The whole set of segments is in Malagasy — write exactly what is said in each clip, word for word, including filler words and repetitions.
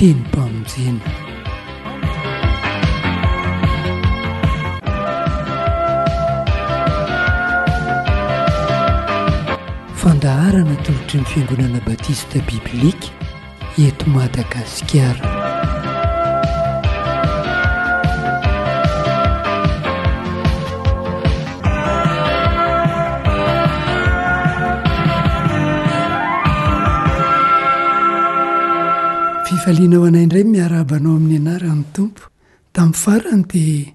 Tenim-pamonjena. Fandaharana atolotry ny Fiangonana Batista Biblika eto Madagasikara. Fifaliana ho anay indray miarahaba anao amin'ny anaran'ny Tompo. Tamin'ny farany dia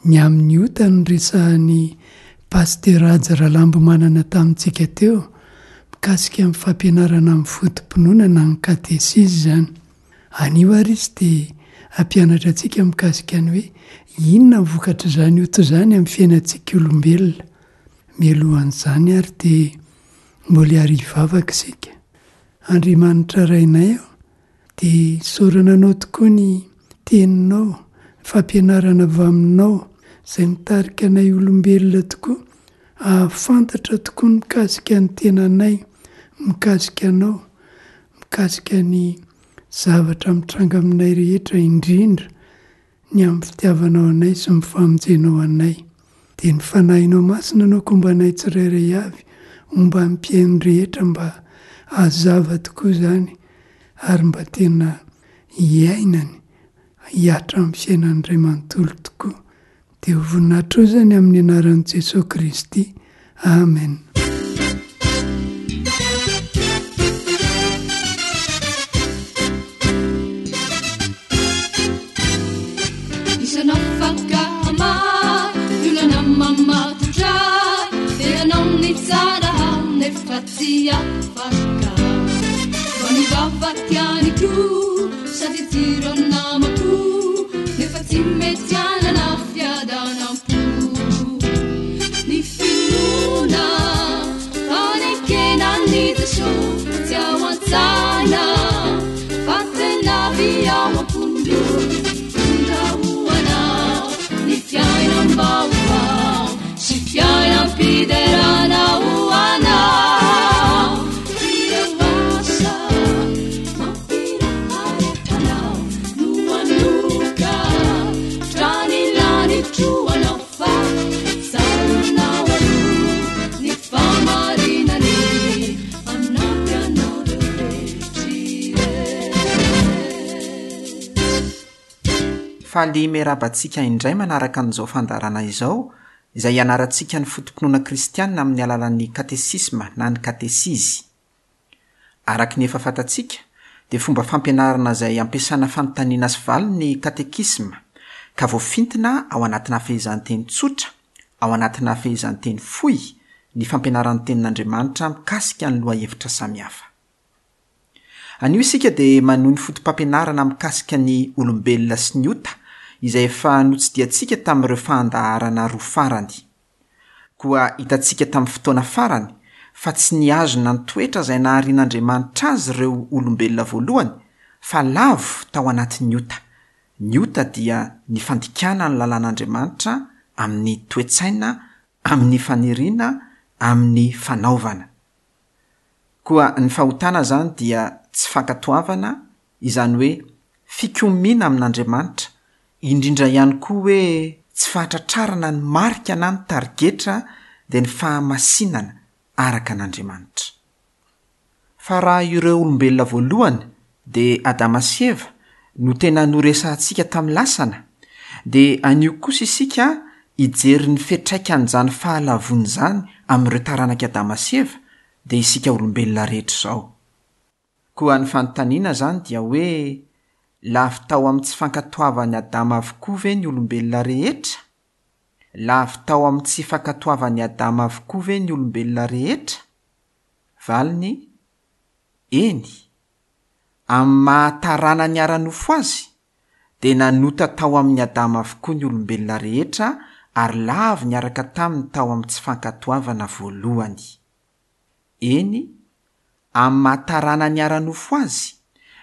ny amin'ny ota no resahan'i Pasitera Haja Ralambomanana tamintsika teo, mikasika ny fampianarana amin'ny foto-pinoana na ny katesizy izany. Anio ary izy dia hampianatra antsika mikasika ny hoe inona ny vokatr'izany ota izany amin'ny fiainantsika olombelona. Mialohan'izany ary dia mbola hiary hivavaka isika. Andriamanitra Rainay ô, dia isaorana Anao tokoa ny Teninao, ny fampianarana avy Aminao, izay mitarika anay olombelona tokoa hahafantatra tokoa ny mikasika ny tenanay, mikasika Anao, mikasika ny zavatra mitranga aminay rehetra indrindra ny amin'ny fitiavanao anay sy ny famonjenao anay. Dia ny Fanahinao Masina no akomba anay tsirairay avy homba ny mpihaino rehetra mba hazava tokoa izany ary mba tena hiainany hihatra amin'ny fiainany iray manontolo tokoa. Dia ho voninahitra eo izany amin'ny anaran'i Jesoa Kristy. Amen. Faly miarahaba antsika indray manaraka an'izao fandaharana izao, izay ianarantsika ny foto-pinoana kristianina amin'ny alalan'ny katesisma na ny katesizy. Araka ny efa fantatsika, dia fomba fampianarana izay ampiasana fanontaniana sy valiny ny katekisma, ka voafintina ao anatina fehezanteny tsotra, ao anatina fehezanteny fohy, ny fampianaran'ny tenin'Andriamanitra mikasika ny lohahevitra samihafa. Anio isika dia manohy ny foto-pampianarana mikasika ny olombelona sy ny ota, izay efa notsidihantsika tamin'ireo fandaharana roa farany. Koa hitantsika tamin'ny fotoana farany fa tsy nihazona ny toetra izay naharian'Andriamanitra azy ireo olombelona voalohany, fa lavo tao anatin'ny ota. Ny ota dia ny fandikana ny lalàn'Andriamanitra amin'ny toe-tsaina, amin'ny faniriana, amin'ny fanaovana. Koa ny fahotana izany dia tsy fankatoavana, izany hoe fikomiana amin'Andriamanitra, indrindra ihany koa hoe tsy fahatratrarana ny marika na ny tarigetra dia ny fahamasinana araka an'Andriamanitra. Fa raha ireo olombelona voalohany dia Adama sy Eva no tena noresahantsika tamin'ny lasana, dia anio kosa isika hijery ny fiantraikan'izany fahalavoana izany amin'ireo taranak'i Adama sy Eva, dia isika olombelona rehetra izao. Koa ny fanontaniana izany dia hoe lavo tao amin'ny tsy fankatoavan'i Adama avokoa ve ny olombelona rehetra? Lavo tao amin'ny tsy fankatoavan'i Adama avokoa ve ny olombelona rehetra? Valiny, eny. Amin'ny maha taranany ara-nofo azy, dia nanota tao amin'ny Adama avokoa ny olombelona rehetra ary lavo niaraka taminy tao amin'ny tsy fankatoavana voalohany. Eny, amin'ny maha taranany ara-nofo azy,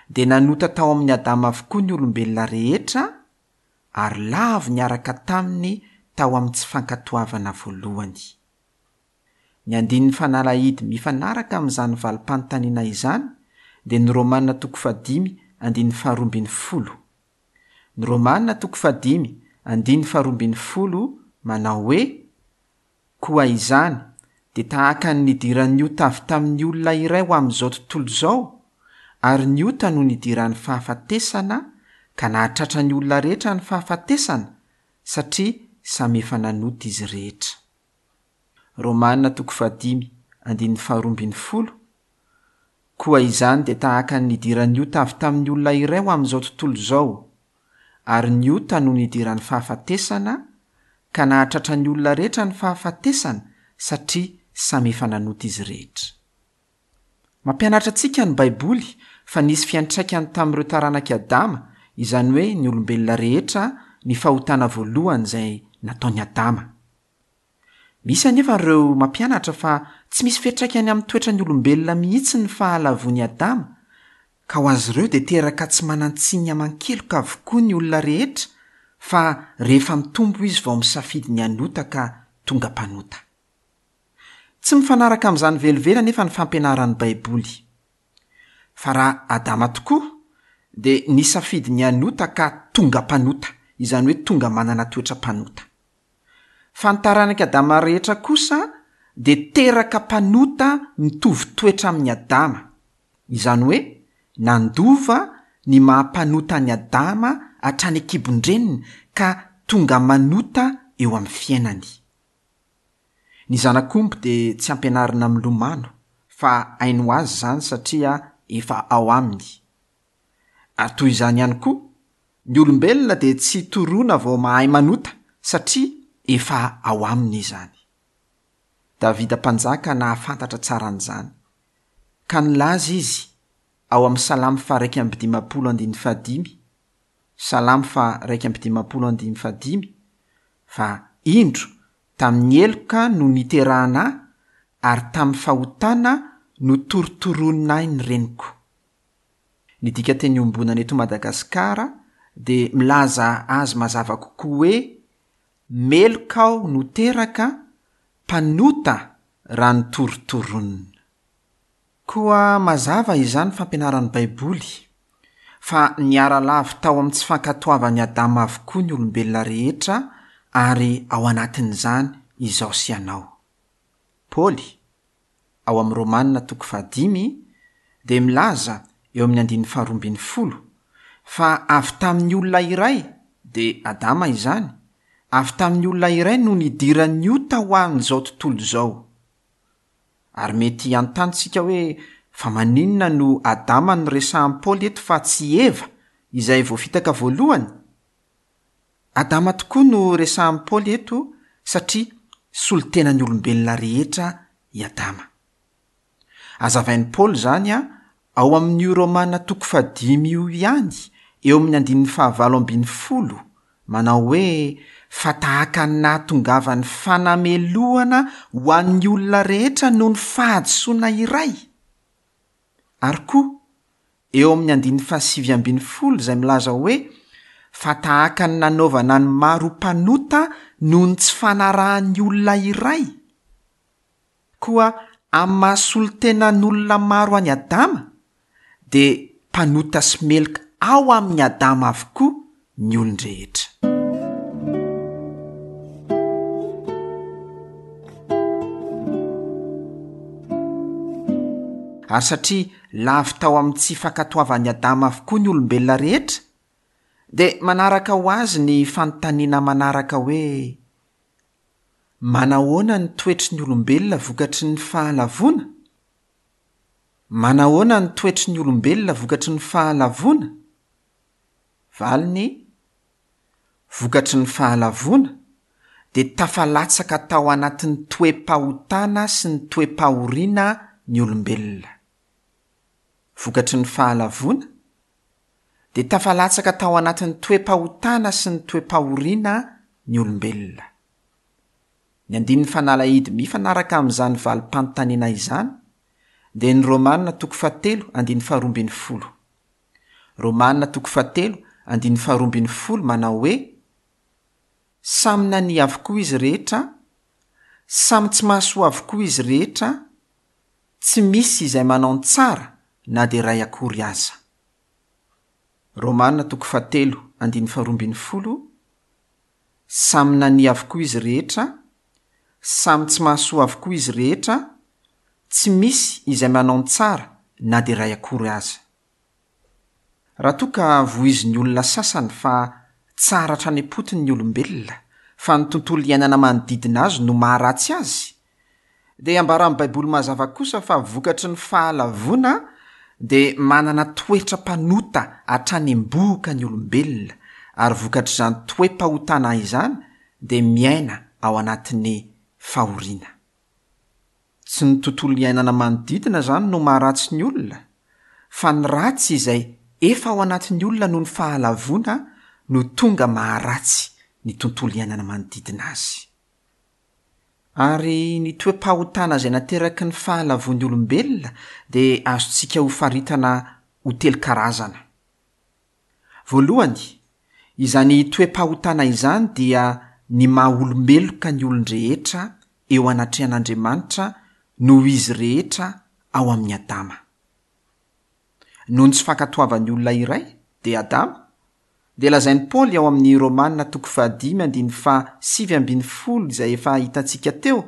dia nanota tao amin'ny Adama avokoa ny olombelona rehetra ary lavo niaraka taminy tao amin'ny tsy fankatoavana voalohany. Ny andinin'ny fanalahidy mifanaraka amin'izany valim-panontaniana izany dia ny Romana toko fahadimy andininy faharoa ambin'ny folo. Ny Romana toko fahadimy andininy faharoa ambin'ny folo manao hoe: Koa izany dia tahaka ny nidiran'ny ota avy tamin'ny olona iray ho amin'izao tontolo izao, ary ny ota no nidiran'ny fahafatesana ka nahatratra ny olona rehetra ny fahafatesana, satria samy efa nanota izy rehetra. Romana toko fahadimy andininy faharoa ambin'ny folo. Koa izany dia tahaka ny nidiran'ny ota avy tamin'ny olona iray ho amin'izao tontolo izao, ary ny ota no nidiran'ny fahafatesana ka nahatratra ny olona rehetra ny fahafatesana, satria samy efa nanota izy rehetra. Mampianatra antsika ny Baiboly fa nisy fiantraikany tamin'ireo taranak'i Adama, izany hoe ny olombelona rehetra, ny fahotana voalohany izay nataon'i Adama. Misy anefa ireo mampianatra fa tsy misy fiantraikany amin'ny toetran'ny olombelona mihitsy ny fahalavoan'i Adama, ka ho azy ireo dia teraka tsy manan-tsiny aman-keloka avokoa ny olona rehetra, fa rehefa mitombo izy vao misafidy ny hanota ka tonga mpanota. Tsy mifanaraka amin'izany velively anefa ny fampianaran'ny Baiboly. Fa raha Adama tokoa dia nisafidy ny hanota ka tonga mpanota, izany hoe tonga manana toetra mpanota. Fa ny taranak'i Adama rehetra kosa dia teraka mpanota mitovy toetra amin'i Adama, izany hoe nandova ny maha-mpanota an'i Adama hatrany an-kibon-dreniny ka tonga manota eo amin'ny fiainany. Ny zanak'omby dia tsy ampianarina milomano, fa hainy ho azy izany satria efa ao aminy. Ary toy izany ihany koa, ny olombelona dia tsy toroana vao mahay manota satria efa ao aminy izany. Davida mpanjaka nahafantatra tsara an'izany, ka nilaza izy ao amin'ny Salamo faha-iraika amby dimampolo andininy fahadimy, Salamo faha-iraika amby dimampolo andininy fahadimy, fa indro tamin'ny heloka no niterahana ahy, ary tamin'ny fahotana no torotoroina ahy ny reniko. Ny dikanteny iombonana eto Madagasikara dia milaza azy mazava kokoa hoe meloka aho no teraka, mpanota raha notorotoronina. Koa mazava izany fampianaran'ny Baiboly fa niara-lavo tao amin'ny tsy fankatoavan'i Adama avokoa ny olombelona rehetra, ary ao anatin'izany izaho sy ianao. Paoly, ao amin'ny Romana toko fahadimy, dia milaza eo amin'ny andininy faharoa ambin'ny folo fa avy tamin'ny olona iray, dia Adama izany, avy tamin'ny olona iray no nidiran'ny ota ho an'izao tontolo izao. Ary mety hanontany isika hoe fa maninona no Adama no resahan'i Paoly eto fa tsy Eva izay voafitaka voalohany? Adama tokoa no resahan'i Paoly eto satria solontenan'ny olombelona rehetra i Adama. Hazavain'i Paoly izany ao amin'io Romana toko fahadimy io ihany, eo amin'ny andininy fahavalo ambin'ny folo, manao hoe fa tahaka ny nahatongavan'ny fanamelohana ho an'ny olona rehetra noho ny fahadisoana iray. Ary koa, eo amin'ny andininy fahasivy ambin'ny folo izay milaza hoe fa tahaka ny nanaovana ny maro mpanota noho ny tsy fanarahan'ny olona iray. Koa amin'ny maha solontenan'olona maro an'i Adama, dia mpanota sy meloka ao amin'i Adama avokoa ny olon-drehetra. Ary satria lavo tao amin'ny tsy fankatoavan'i Adama avokoa ny olombelona rehetra, dia manaraka ho azy ny fanontaniana manaraka hoe manahoana ny toetry ny olombelona vokatry ny fahalavoana? Manahoana ny toetry ny olombelona vokatry ny fahalavoana? Valiny: vokatry ny fahalavoana dia tafalatsaka tao anatin'ny toe-pahotana sy ny toe-pahoriana ny olombelona. Vokatry ny fahalavoana dia tafalatsaka tao anatin'ny toe-pahotana sy ny toe-pahoriana ny olombelona. Ny andininy fanalahidy mifanaraka amin'izany valim-panontaniana izany dia ny Romana toko fahatelo andininy faharoa ambin'ny folo. Romana toko fahatelo andininy faharoa ambin'ny folo manao hoe samy nania avokoa izy rehetra, samy tsy mahasoa avokoa izy rehetra, tsy misy izay manao ny tsara na dia iray akory aza. Romana toko fahatelo andininy faharoa ambin'ny folo, Samy nania avokoa izy rehetra, samy tsy mahasoa avokoa izy rehetra, tsy misy izay manao ny tsara na dia iray akory aza. Raha toa ka voizin'ny olona sasany fa tsara hatrany am-potony ny olombelona, fa ny tontolo iainana manodidina azy no maharatsy azy, dia ambaran'ny Baiboly mazava kosa fa vokatry ny fahalavoana dia manana toetra mpanota hatrany am-bohoka ny olombelona, ary vokatr'izany toe-pahotana izany dia miaina ao anatin'ny fahoriana. Tsy ny tontolo iainana manodidina izany no maharatsy ny olona, fa ny ratsy izay efa ao anatin'ny olona noho ny fahalavoana no tonga maharatsy ny tontolo iainana manodidina azy. Ary ny toe-pahotana izay nateraky ny fahalavoan'ny olombelona dia azontsika hofaritana ho telo karazana. Voalohany, izany toe-pahotana izany dia ny maha-olombeloka ny olon-drehetra eo anatrehan'Andriamanitra noho izy rehetra ao amin'i Adama. Noho ny tsy fankatoavan'ny olona iray, dia Adama, dia lazain'i Paoly ao amin'ny Romana toko fahadimy andininy fahasivy ambin'ny folo izay efa hitantsika teo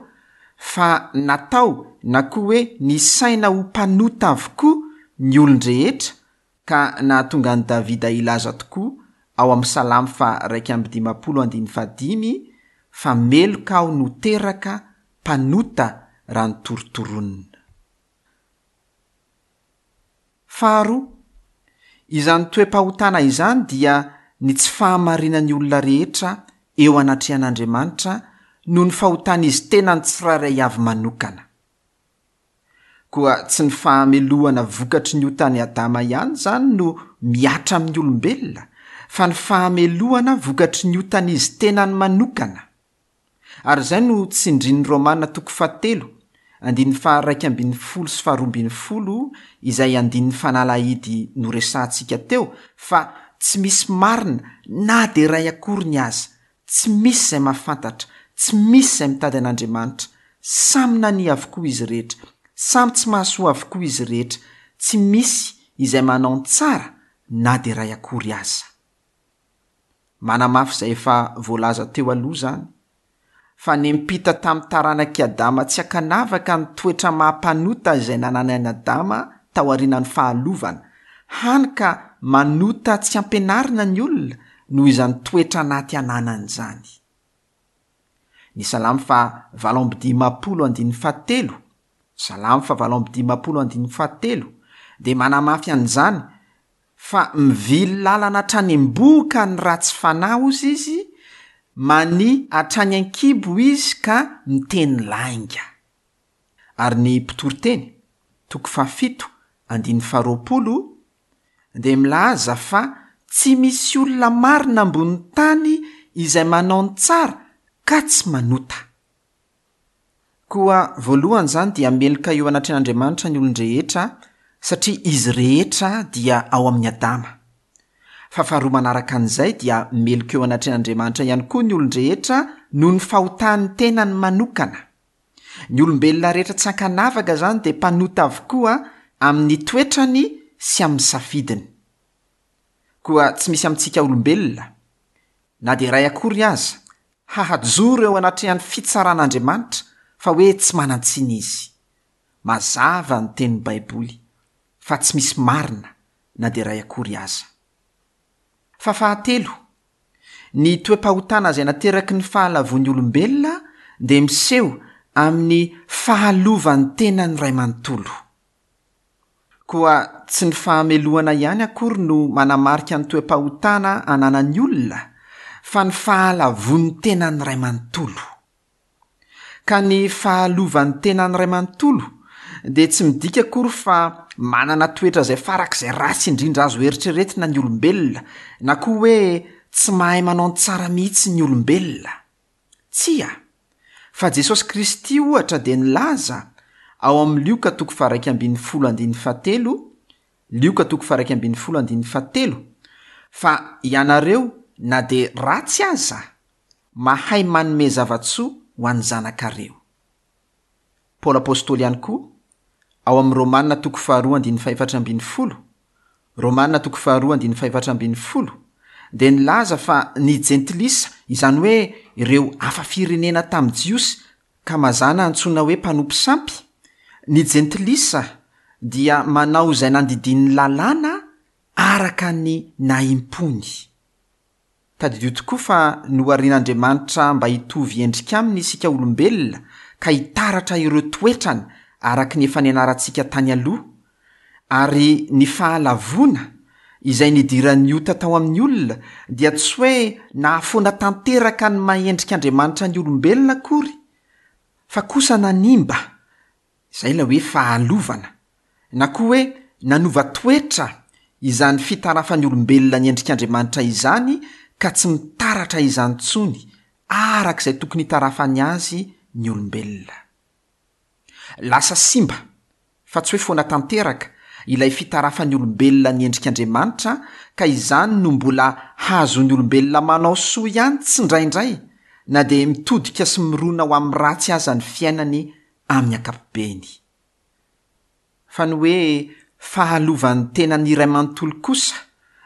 fa natao na koa hoe nisaina ho mpanota avokoa ny olon-drehetra ka nahatonga an'i Davida hilaza tokoa ao amin'ny Salamo faha-iraika amby dimampolo andininy fahadimy fa meloka aho no teraka mpanota raha notorotoronina. Faharoa, izany toe-pahotana izany dia ny tsy fahamarinan'ny olona rehetra eo anatrehan'Andriamanitra noho ny fahotan'izy tenany tsirairay avy manokana. Koa tsy ny fahamelohana vokatry ny otan'i Adama ihany izany no mihatra amin'ny olombelona, fa ny fahamelohana vokatry ny otan'izy tenany manokana. Ary izay no tsindrin'ny Romana toko fahatelo, andininy faha-iraika ambin'ny folo sy faharoa ambin'ny folo, izay andininy fanalahidy noresahantsika teo, fa tsy misy marina na dia iray akory ny aza, tsy misy izay mahafantatra, tsy misy izay mitady an'Andriamanitra, samy nania avokoa izy rehetra, samy tsy mahasoa avokoa izy rehetra, tsy misy izay manao ny tsara na dia iray akory aza. Manamafy izay efa voalaza teo aloha izany, fa niampita tamin'ny taranak'i Adama tsy ankanavaka ny toetra maha-mpanota izay nananan'i Adama taorian'ny fahalovana, hany ka manota tsy ampianarina ny olona noho izany toetra anaty ananany izany. Ny Salamo fahavalo amby dimampolo andininy fahatelo, Salamo fahavalo amby dimampolo andininy fahatelo, dia manamafy an'izany fa mivily lalana hatrany am-bohoka ny ratsy fanahy hozy izy, mania hatrany an-kibo izy ka miteny lainga. Ary ny mpitoriteny, toko fahafito andininy faharoapolo, dia milaza fa tsy misy olona marina ambony tany izay manao ny tsara ka tsy manota. Koa voalohany izany dia meloka eo anatrehan'Andriamanitra ny olon-drehetra satria izy rehetra dia ao amin'i Adama. Fa faharoa manaraka an'izay dia meloka eo anatrehan'Andriamanitra ihany koa ny olon-drehetra noho ny fahotan'ny tenany manokana. Ny olombelona rehetra tsy ankanavaka izany dia mpanota avokoa amin'ny toetrany sy amin'ny safidiny. Koa tsy misy amintsika olombelona, na dia iray akory aza, hahajoro eo anatrehan'ny fitsaran'Andriamanitra fa hoe tsy manan-tsiny izy. Mazava ny tenin'ny Baiboly fa tsy misy marina na dia iray akory aza. Fa fahatelo, ny toe-pahotana izay nateraky ny fahalavoan'ny olombelona dia miseho amin'ny fahalovan'ny tenany iray manontolo. Koa tsy ny fahamelohana ihany akory no manamarika ny toe-pahotana ananan'ny olona, fa ny fahalavoan'ny tenany iray manontolo. Ka ny fahalovan'ny tenany iray manontolo dia tsy midika akory fa manana toetra izay farak'izay ratsy indrindra azo eritreretina ny olombelona, na koa hoe tsy mahay manao ny tsara mihitsy ny olombelona. Tsia, fa Jesosy Kristy ohatra dia nilaza ao amin'ny Lioka toko faha-iraika ambin'ny folo andininy fahatelo, Lioka toko faha-iraika ambin'ny folo andininy fahatelo, fa ianareo na dia ratsy aza, mahay manome zava-tsoa ho an'ny zanakareo. Paoly Apostoly ihany koa, ao amin'ny Romana toko faharoa andininy fahefatra ambin'ny folo, Romana toko faharoa andininy fahefatra ambin'ny folo dia nilaza fa ny jentilisa, izany hoe ireo hafa firenena tamin'ny Jiosy ka mazàna antsoina hoe mpanompo sampy, ny jentilisa dia manao izay nandidian'ny lalàna araka ny nahimpony. Tadidio tokoa fa noharian'Andriamanitra mba hitovy endrika aminy isika olombelona ka hitaratra ireo toetrany araka ny efa nianarantsika tany aloha, ary ny fahalavoana izay nidiran'ny ota tao amin'ny olona dia tsy hoe nahafoana tanteraka ny maha endrik'Andriamanitra ny olombelona akory, fa kosa nanimba, izay ilay hoe fahalovana, na koa hoe nanova toetra izany fitarafan'ny olombelona ny endrik'Andriamanitra izany ka tsy mitaratra izany intsony araka izay tokony hitarafany azy ny olombelona. Lasa simba, fa tsy hoe foana tanteraka, ilay fitarafan'ny olombelona ny endrik'Andriamanitra, ka izany no mbola hazon'ny olombelona manao soa ihany tsindraindray, na dia mitodika sy mirona ho amin'ny ratsy aza ny fiainany amin'ny ankapobeny. Fa ny hoe fahalovan'ny tenany iray manontolo kosa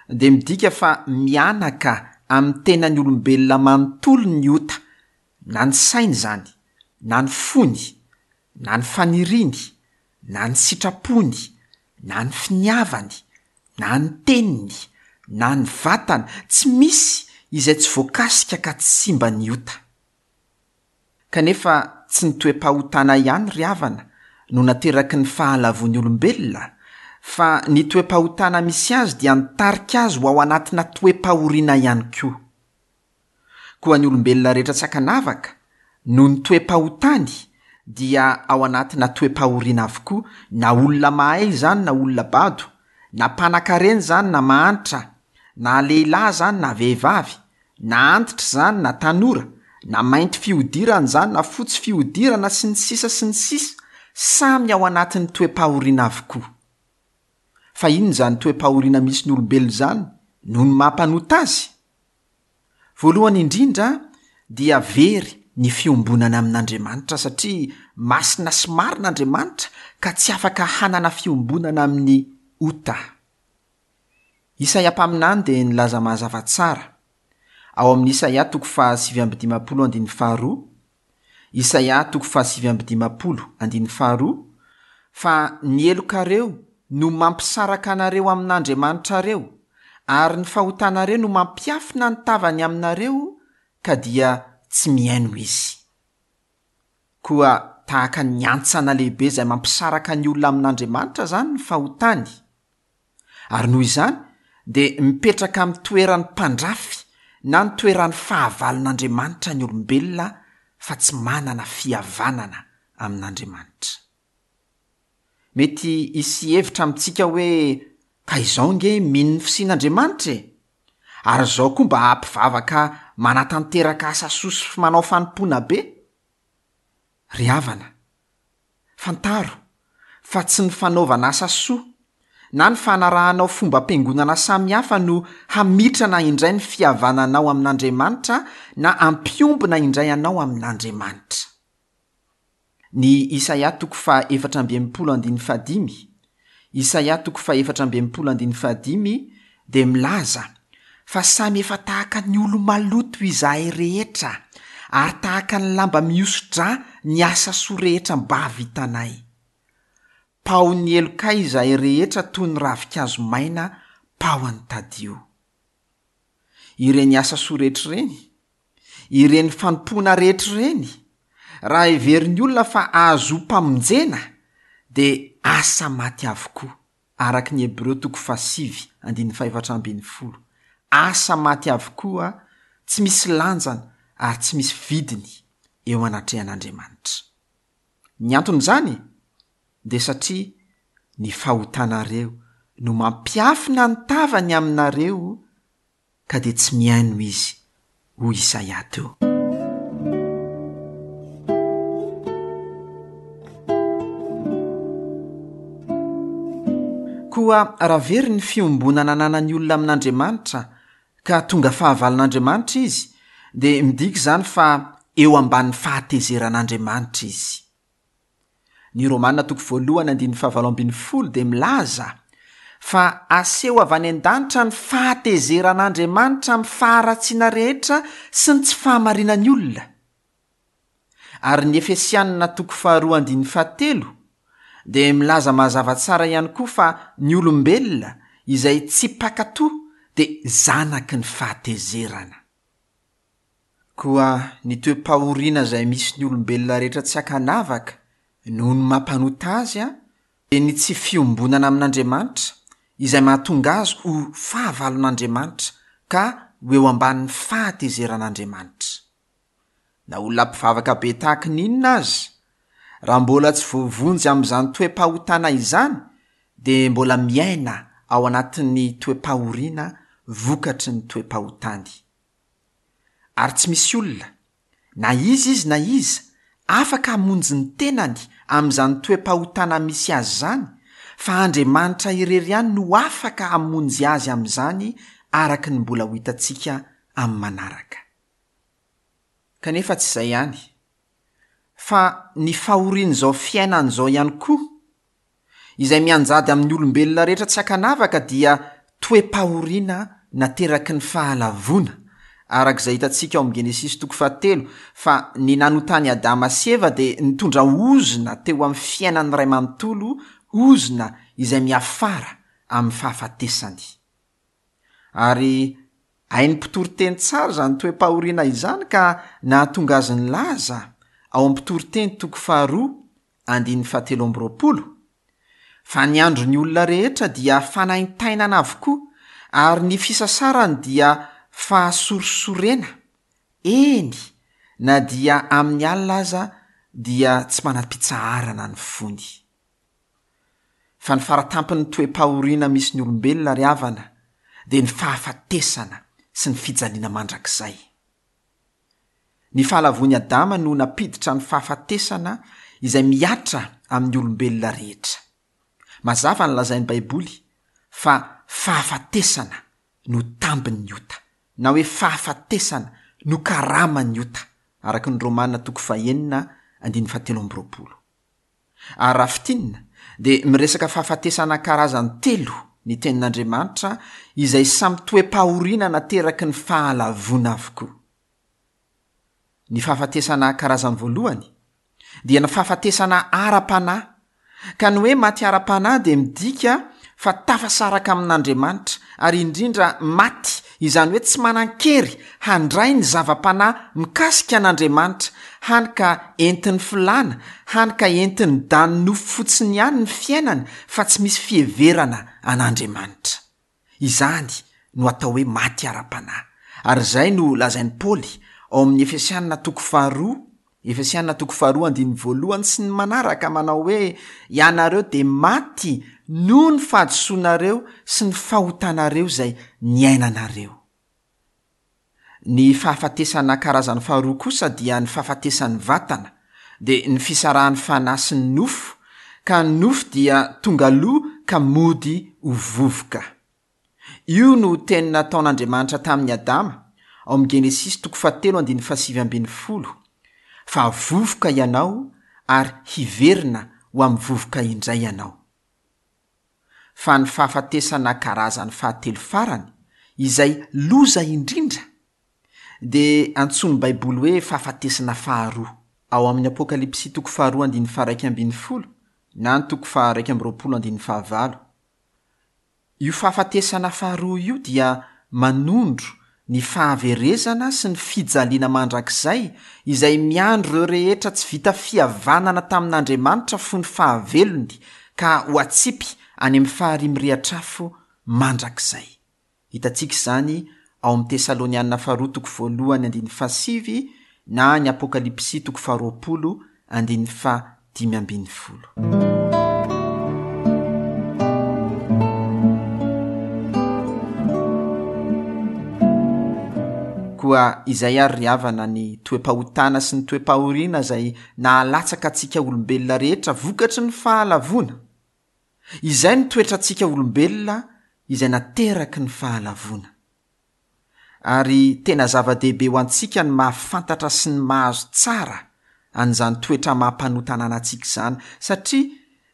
dia midika fa mianaka amin'ny tenan'ny olombelona manontolo ny ota, na ny sainy izany, na ny fony, na ny faniriany, na ny sitrapony, na ny finiavany, na ny teniny, na ny vatany, tsy misy izay tsy voakasika ka tsy simba ny ota. Kanefa tsy ny toe-pahotana ihany ry havana no nateraky ny fahalavoan'ny olombelona, fa ny toe-pahotana misy azy dia nitarika azy ho ao anatina toe-pahoriana ihany koa. Koa ny olombelona rehetra tsy ankanavaka noho ny toe-pahotany dia ao anatina toe-pahoriana avokoa, na olona mahay izany na olona bado, na mpanan-karena izany na mahantra, na lehilahy izany na vehivavy, na antitra izany na tanora, na mainty fihodirana izany na fotsy fihodirana sy ny sisa sy ny sisa, samy ao anatin'ny toe-pahoriana avokoa. Fa inona izany toe-pahoriana misy ny olombelona izany noho ny maha-mpanota azy? Voalohany indrindra dia very ny fiombonana amin'Andriamanitra, satria masina sy marina Andriamanitra ka tsy afaka hanana fiombonana amin'ny ota. Isaia mpaminany dia nilaza mazava tsara ao amin'ny Isaia toko fahasivy amby dimampolo andininy faharoa, Isaia toko fahasivy amby dimampolo andininy faharoa, fa ny helokareo no mampisaraka anareo amin'Andriamanitrareo, ary ny fahotanareo no mampiafina ny tavany aminareo, ka dia tsy mihaino izy. Koa tahaka ny antsana lehibe izay mampisaraka ny olona amin'Andriamanitra izany ny fahotany. Ary noho izany dia mipetraka amin'ny toeran'ny mpandrafy na ny toeran'ny fahavalon'Andriamanitra ny olombelona fa tsy manana fihavanana amin'Andriamanitra. Mety hisy hevitra amintsika hoe ka izao nge mino ny fisian'Andriamanitra e! Ary izao koa mba hampivavaka manatanteraka asa soa sy manao fanompoana be. Ry havana, fantaro fa tsy ny fanaovana asa soa na ny fanarahanao fombam-piangonana samihafa no hamitrana indray ny fihavananao amin'Andriamanitra na hampiombona indray anao amin'Andriamanitra. Ny Isaia toko faha efatra amby enimpolo andininy fahadimy, Isaia toko faha efatra amby enimpolo andininy fahadimy dia milaza fa samy efa tahaka ny olo-maloto izahay rehetra, ary tahaka ny lamba mihoso-drà ny asa soa rehetra mba vitanay. Paon'ny helokay izahay rehetra toy ny ravinkazo maina paoan'ny tadio. Ireny asa soa rehetra ireny, ireny fanompoana rehetra ireny, raha heverin'ny olona fa ahazoam-pamonjena dia asa maty avokoa, araka ny Hebreo toko fahasivy andininy fahefatra ambin'ny folo. Asa maty avokoa, tsy misy lanjany ary tsy misy vidiny eo anatrehan'Andriamanitra. Ny anton'izany dia satria ny fahotanareo no mampiafina ny tavany aminareo ka dia tsy mihaino izy, hoy Isaia teo. Koa raha very ny fiombonana ananan'ny olona amin'Andriamanitra ka tonga fahavalon'Andriamanitra izy, dia midika izany fa eo ambanin'ny fahatezeran'Andriamanitra izy. Ny Romana toko voalohany andininy fahavalo ambin'ny folo dia milaza fa aseho avy any an-danitra ny fahatezeran'Andriamanitra amin'ny faharatsiana rehetra sy ny tsy fahamarinan'ny olona. Ary ny Efesianina toko faharoa andininy fahatelo dia milaza mazava tsara ihany koa fa ny olombelona izay tsy mpankatò dia zanaky ny fahatezerana. Koa ny toe-pahoriana izay misy ny olombelona rehetra tsy ankanavaka noho ny mampanota azy dia ny tsy fiombonana amin'Andriamanitra izay mahatonga azy ho fahavalon'Andriamanitra ka ho eo ambanin'ny fahatezeran'Andriamanitra. Na olona mpivavaka be tahaky ny inona aza, raha mbola tsy voavonjy amin'izany toe-pahotana izany dia mbola miaina ao anatin'ny toe-pahoriana vokatry ny toe-pahotany. Ary tsy misy olona, na iza izy na iza, afaka hamonjy ny tenany amin'izany toe-pahotana misy azy izany, fa Andriamanitra irery ihany no afaka hamonjy azy amin'izany araka ny mbola ho hitantsika amin'ny manaraka. Kanefa tsy izay ihany, fa ny fahorian'izao fiainana izao ihany koa, izay mianjady amin'ny olombelona rehetra tsy ankanavaka dia toe-pahoriana nateraky ny fahalavoana, araka izay hitantsika ao amin'ny Genesisy toko fahatelo, fa ny nanotany Adama sy Eva dia nitondra ozona teo amin'ny fiainan'ny ray manontolo, ozona izay miafara amin'ny fahafatesany. Ary hain'ny mpitoriteny tsara izany toe-pahoriana izany ka nahatonga azy nilaza ao amin'ny mpitoriteny toko faharoa andininy fahatelo amby roapolo fa ny andron'ny olona rehetra dia fanaintainana avokoa ary ny fisasarany dia fahasorisorena, eny na dia amin'ny alina aza dia tsy manam-pitsaharana ny fony. Fa ny faratampon'ny toe-pahoriana misy ny olombelona ry havana dia ny fahafatesana sy ny fijaliana mandrakizay. Ny fahalavoan'i Adama no nampiditra ny fahafatesana izay mihatra amin'ny olombelona rehetra. Mazava ny lazain'ny Baiboly fa fahafatesana no tambin'ny ota, na hoe fahafatesana no karaman'ny ota, araka ny Romana toko fahenina andininy fahatelo amby roapolo. Ary raha fintinina dia miresaka fahafatesana karazany telo ny tenin'Andriamanitra izay samy toe-pahoriana nateraky ny fahalavoana avokoa. Ny fahafatesana karazany voalohany dia ny fahafatesana ara-panahy, ka ny hoe maty ara-panahy dia midika fa tafasaraka amin'Andriamanitra ary indrindra maty, izany hoe tsy manan-kery handray ny zava-panahy mikasika an'Andriamanitra, hany ka entin'ny filàna, hany ka entin'ny dan'ny nofo fotsiny ihany ny fiainany fa tsy misy fiheverana an'Andriamanitra. Izany no atao hoe maty ara-panahy. Ary izay no lazain'i Paoly ao amin'ny Efesianina toko faharoa, Efesianina toko faharoa andininy voalohany sy ny manaraka manao hoe ianareo dia maty noho ny fahadisoanareo sy ny fahotanareo izay niainanareo. Ny fahafatesana karazany faharoa kosa dia ny fahafatesan'ny vatana, dia ny fisarahan'ny fanahy sy ny nofo, ka ny nofo dia tonga aloha ka mody ho vovoka. Io no teny nataon'Andriamanitra tamin'i Adama ao amin'ny Genesisy toko fahatelo andininy fahasivy ambin'ny folo, fa vovoka ianao ary hiverina ho amin'ny vovoka indray ianao. Fa ny fahafatesana karazany fahatelo farany, izay loza indrindra, dia antsoin'ny Baiboly hoe fahafatesana faharoa. Ao amin'ny Apokalypsy toko faharoa andininy faharaika ambin'ny folo na ny toko faharaika amby roapolo andininy fahavalo. Io fahafatesana faharoa io dia manondro ny fahaverezana sy ny fijaliana mandrakizay izay miandry ireo rehetra tsy vita fihavanana tamin'Andriamanitra fony fahavelony ka ho atsipy any amin'ny farihy mirehitra afo mandrakizay. Hitantsika izany ao amin'ny Tesalonianina faharoa toko voalohany andininy fahasivy na ny Apokalypsy toko faharoapolo andininy fahadimy ambin'ny folo. Koa izay ary ry havana ny toe-pahotana sy ny toe-pahoriana izay nahalatsaka antsika olombelona rehetra vokatry ny fahalavoana. Izay no toetrantsika olombelona izay nateraky ny fahalavoana. Ary tena zava-dehibe ho antsika ny mahafantatra sy ny mahazo tsara an'izany toetra maha-mpanota ananantsika izany, satria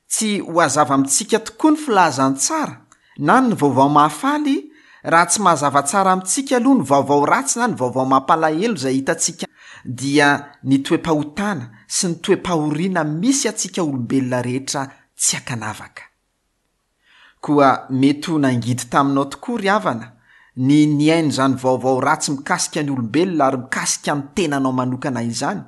tsy ho hazava amintsika tokoa ny filazantsara na ny vaovao mahafaly raha tsy mazava tsara amintsika aloha ny vaovao ratsy na ny vaovao mampalahelo izay hitantsika dia ny toe-pahotana sy ny toe-pahoriana misy antsika olombelona rehetra tsy ankanavaka. Koa mety ho nangidy taminao tokoa ry havana ny nihaino izany vaovao ratsy mikasika ny olombelona ary mikasika ny tenanao manokana izany,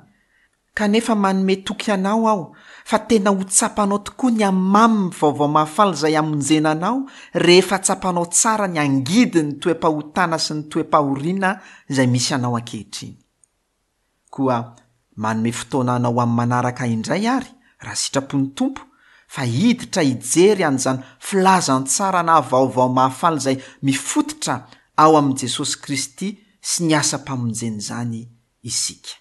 kanefa manome toky anao aho fa tena ho tsapanao tokoa ny hamamin'ny vaovao mahafaly izay hamonjena anao rehefa tsapanao tsara ny angidin'ny toe-pahotana sy ny toe-pahoriana izay misy anao ankehitriny. Koa manome fotoana anao amin'ny manaraka indray ary raha sitrapon'ny Tompo fa hiditra hijery an'izany filazantsara na vaovao mahafaly izay mifototra ao amin'i Jesosy Kristy sy ny asam-pamonjena izany isika.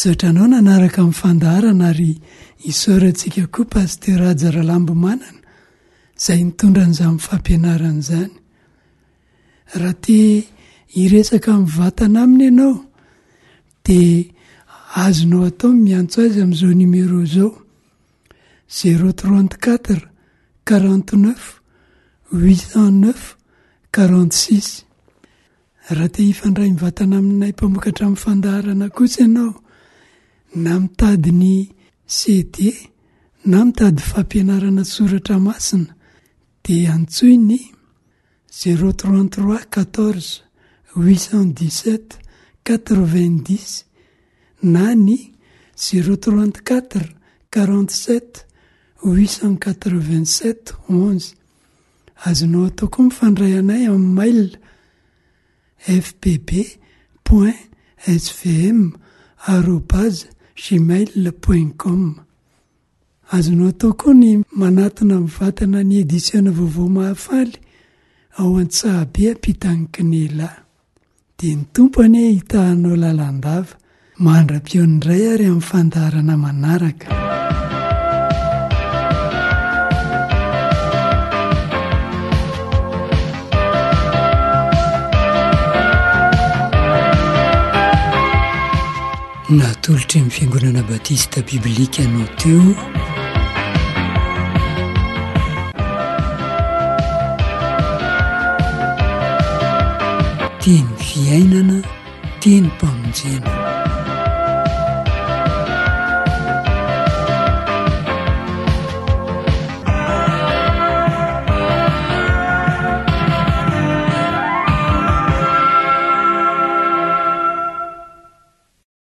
Misaotra anao nanaraka amin'ny fandaharana ary isaorantsika koa Pasteur Haja Ralambomanana izay nitondra an'izany fampianarana izany. Raha te hiresaka mivantana aminy ianao dia azonao atao ny miantso azy amin'izao numéro izao: zéro trente quatre quarante neuf huit cent neuf quarante six. Raha te hifandray mivantana aminay mpamokatra amin'ny fandaharana kosa ianao, na mitady ny C D na mitady fampianarana soratra masina, dia antsoy ny zéro trente trois quatorze huit cent dix sept quatre vingt dix na ny zéro trente quatre quarante sept huit cent quatre vingt sept onze. Azonao atao koa mifandray anay amin'ny mail F P B point S V M arobase gmail point com. Azonao atao koa ny manatona mivantana ny edisiona Vaovao Mahafaly ao Antsahabe ampitan'ny Kinela. Dia ny Tompo anie hitahanao lalandava mandra-pihaona indray ary amin'ny fandaharana manaraka. Natolotry ny Fiangonana Batista Biblika anao teo Teny fiainana, tenim-pamonjena.